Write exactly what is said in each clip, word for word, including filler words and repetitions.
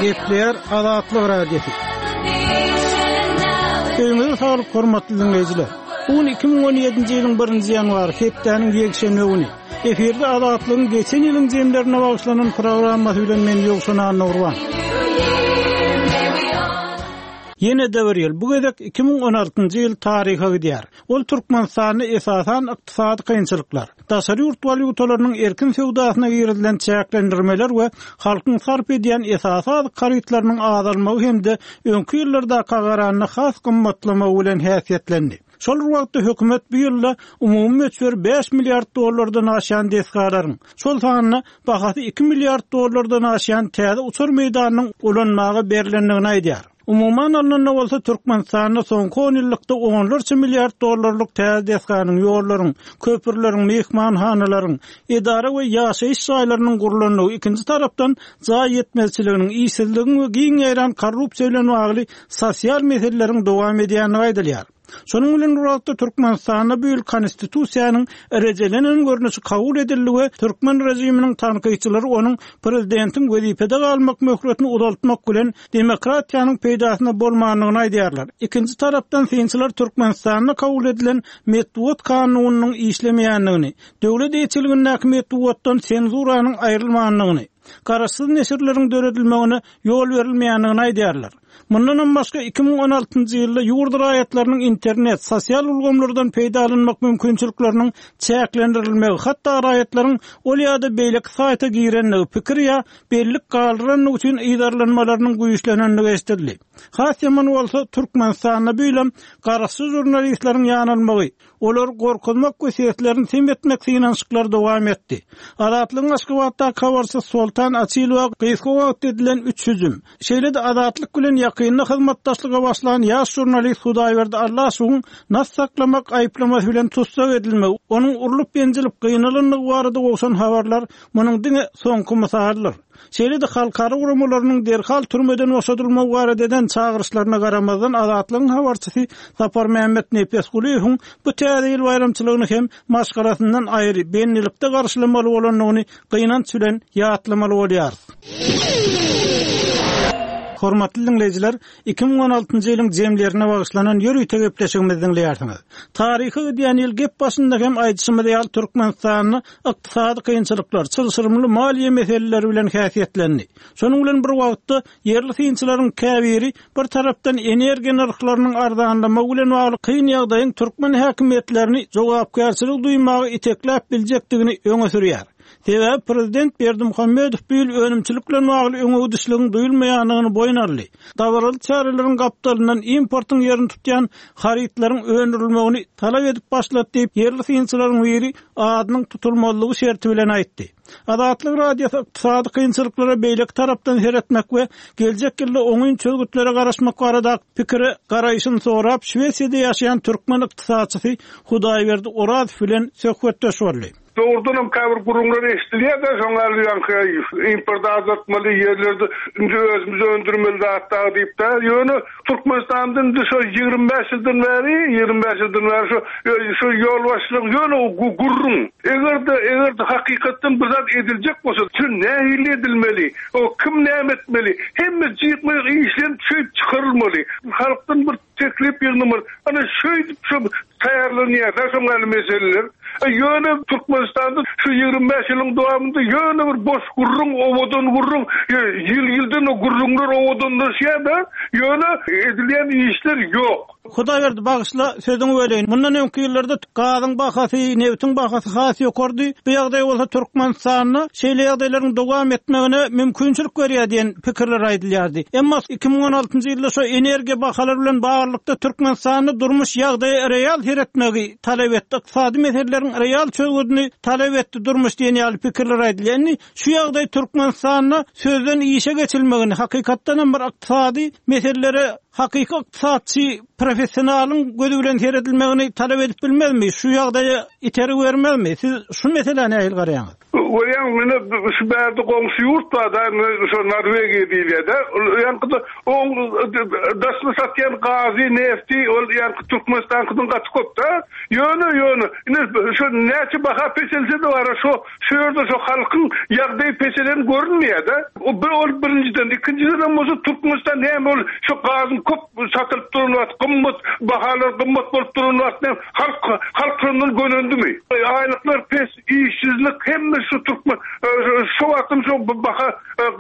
Gepleýär Azatlyk Radiosy. Öýüňize saglyk hormatly diňleýjiler. Bu gün iki müň on ýedinji ýylyň birinji ýanwary, hepdäniň ýekşenbe güni. Efirde Azatlygyň geçen ýylyň jemlerine bagyşlanan programmasy bilen men Ýowşan Annagurban. Ýene-de bir ýyl, bu gezek iki müň on altynjy ýyl taryha gidýär. Ol Türkmenistanda esasan ykdysady kynçylyklar, daşary ýurt walýutalarynyň erkin söwdasyna girizilen çäklendirmeler we halkyň sarp edýän esasy azyk harytlarynyň azalmagy hem-de öňki ýyllardaka garanda has gymmatlamagy bilen häsiýetlendi. Şol bir wagtda hökümet bu ýylda umumy möçberi bäş milliard dollardan aşan desgalaryň, şol sanda bahasy iki milliard dollardan aşan täze uçar meýdanynyň ulanmaga berilendigini aýdýar. Umuman alnanda bolsa Türkmenistanda soňky on ýyllykda onlarça milliard dollarlyk täze desganyň, ýollaryň, köprüleriň, mehmanhanalaryň, edara we ýaşaýyş jaýlarynyň gurlandygy, ikinji tarapdan jaý ýetmezçiliginiň, işsizligiň we giň ýaýran korrupsiýa bilen bagly sosial meseleleriň dowam edýändigi aýdylýar. Şonuň bilen bir wagtda Türkmenistanda bu ýyl konstitusiýanyň rejelenen görnüşi kabul edildi we türkmen režiminiň tankytçylary onuň prezidentiň wezipede galmak möhletini uzaltmak bilen demokratiýanyň peýdasyna bolmandygyny aýdýarlar. Ikinji tarapdan synçylar Türkmenistanda kabul edilen metbugat kanunynyň işlemeýändigini, döwlet eýeçiligindäki metbugatdan senzuranyň aýrylmandygyny, garaşsyz neşirleriň döredilmegine ýol berilmeýändigini aýdýarlar. Mundan hem başga iki müň on altynjy ýylda ýurt raýatlarynyň internet, sosial ulgamlardan peýdalanmak mümkinçilikleriniň çäklendirilmegi, hatda raýatlaryň ol ýa-da beýleki saýta girenligi, pikir ýa bellik galdyranlygy üçin yzarlanmalarynyň güýçlenendigi eşidildi. Has ýaman bolsa Türkmenistanda bu ýylam garaşsyz žurnalistleriň ýanalmagy, olar gorkuzmak we seslerini sem etmek synanyşyklary dowam etdi. Azatlygyň Aşgabatdaky habarçysy Soltan Açylowa gysga wagt edilen üç hüjüm, şeýle-de Azatlyk bilen ýakynda hyzmatdaşlyga başlan ýaş žurnalist Hudaýberdi Allaşowyň nas saklamak aýyplamasy bilen tussag edilmegi, onuň urlup ýenjilip gynalandygy barada gowşan habarlar munuň diňe soňky mysalydyr. Şeýle-de halkara guramalarynyň derhal türmeden boşadylmagy barada eden çagyryşlaryna garamazdan Azatlygyň habarçysy Saparmämmet Nepesgulyýewiň bu täze ýyl baýramçylygyny hem maşgalasyndan aýry bendilikde garşylamaly bolandygyny gynanç bilen ýatlamaly bolýar. Hormatly dinleýjiler, iki müň on altynjy ýylyň jemlerine bagyşlanan ýörite gepleşigimizi dinleýärsiňiz. Taryhy gidýän ýyl gep başynda hem aýdyşymyz ýaly Türkmenistanda ykdysady kynçylyklar, çylşyrymly maliýe meseleleri bilen häsiýetlendi. Şonuň bilen bir wagtda ýerli synçylaryň käbiri bir tarapdan energiýa nyrhlarynyň arzanlamagy bilen bagly kyn ýagdaýyň türkmen häkimiýetlerini jogapkärçilik duýmagy itekläp biljekdigini öňe sürýär. Sebäbi prezident Berdimuhamedow bu ýyl önümçilik bilen bagly öňe gidişligiň duýulmaýandygyny boýun aldy. Dabaraly çäreleriň gapdalyndan importyň ýerini tutýan harytlaryň öndürilmegini talap edip başlady diýip, ýerli synçylaryň biri adynyň tutulmazlygy şerti bilen aýtdy. Azatlyk Radiosy ykdysady kynçylyklara beýleki tarapdan seretmek we geljek ýylda oňyn çözgütlere garaşmak barada pikire garaýşyny sorap, Şwesiýada ýaşaýan türkmen ykdysatçysy Hudaýberdi Orazow bilen söhbetdeş boldy. Doğrudan hem käbir gurumlar eşidilýär de, şoňa ýaňky import azaltmaly ýerlerde indi özümiz öndürmeli zatlar diýip de, ýöne Türkmenistan'da indi şo ýigrimi bäş ýyldan bäri, ýigrimi bäş ýyldan bäri şo, şo ýolbaşçylyk ýöne gurrun. Eger-de, eger-de hakykatdan bir zat ediljek bolsa, şu nähili edilmeli, o kim näme etmeli, hemme jyk-myk işlenip şeýdip çykarylmaly. Halkdan bir teklip ýygnamaly. Ana şeýdip şo taýýarlanýar, şoňa meseleler. E, ýöne Türkmenistan'da şu ýigrimi bäş ýylyň dowamynda ýöne bir boş gurrun, owadan gurrun, e, ýyl-ýyldan o gurrunlar owadanlaşýar da, ýöne edilýän işler ýok. Hudaýberdi bagyşla sözüňi böleýin. Mundan öňki ýyllarda gazyň bahasy, nebitiň bahasy has ýokardy. Bu ýagdaý bolsa Türkmenistanda şeýle ýagdaýlaryň dowam etmegine mümkinçilik berýär diýen pikirler aýdylýardy. Emma iki müň on altynjy ýylda şo energiýa bahalary bilen baglylykda Türkmenistanda durmuş ýagdaýy real seretmegi talap etdi. Ykdysady meseleleriň real çözgüdini talap etdi durmuş diýen ýaly pikirler aýdylýar. Indi şu ýagdaý Türkmenistanda sözden işe geçilmegini, hakykatdan hem bir ykdysady meselelere hakyky ykdysatçy professionalyň gözi bilen seredilmegini talap edip bilmezmi? Şu ýagdaýa iteri bermezmi? Siz şu meselä nähili garaýaňyz? Görýäň, ine şu bärde goňşy ýurt bar da, şo Norwegiýa diýilýär-de. Ýaňky-da oň daşyna satýan gazy, nefti ol ýaňky Türkmenistankydan gaty köp-de. Ýöne, ýöne, ine şo näçe baha peselse-de bar, şo şu ýerde şo halkyň ýagdaýy peselen görünmeýär-de. O bir ol birinjiden, ikinjiden bolsa Türkmenistan näme ol şo gazyň köp satylyp duran wagt gymmat, bahalar gymmat bolup duran wagt näme halk halk şondan gönendimi? Aýlyklar pes, işsizlik hemme şu Türkmen şu wagtym şu baha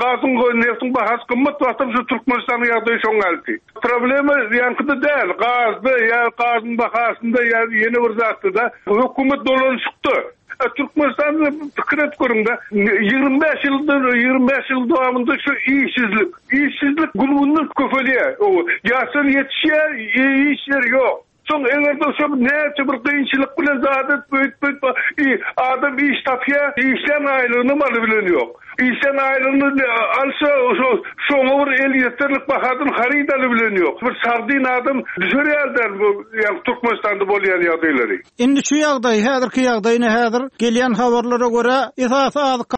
gazyň neftiň bahasy gymmat wagtym şu Türkmenistanyň ýagdaýy şoň ýalydy. Problema ýaňkyda däl, gazda ýa gazyň bahasynda ýa ýene bir zatda da hökümet dolanyşykda. Türkmenistanda pikir et görüň-de, ýigrimi bäş ýyldan ýigrimi bäş ýyl dowamynda şu işsizlik, işsizlik gün-günden köpelýär. Ýaşlar ýetişýär, işler ýok. Soň eger-de şo näçe bir kynçylyk bilen zat edip öýtüp adam iş tapýar, işlän aýlygyny aly bilen ýok. Işlän aýlygyny alsa şo şoňa bir el ýeterlik bahadan haryt aly bilen ýok. Bir sagdyn adam düşer ýerden bu ýa Türkmenistanda bolýan ýagdaýlary. Indi şu ýagdaý, häzirki ýagdaýyny häzir gelýän habarlara görä esasy azyk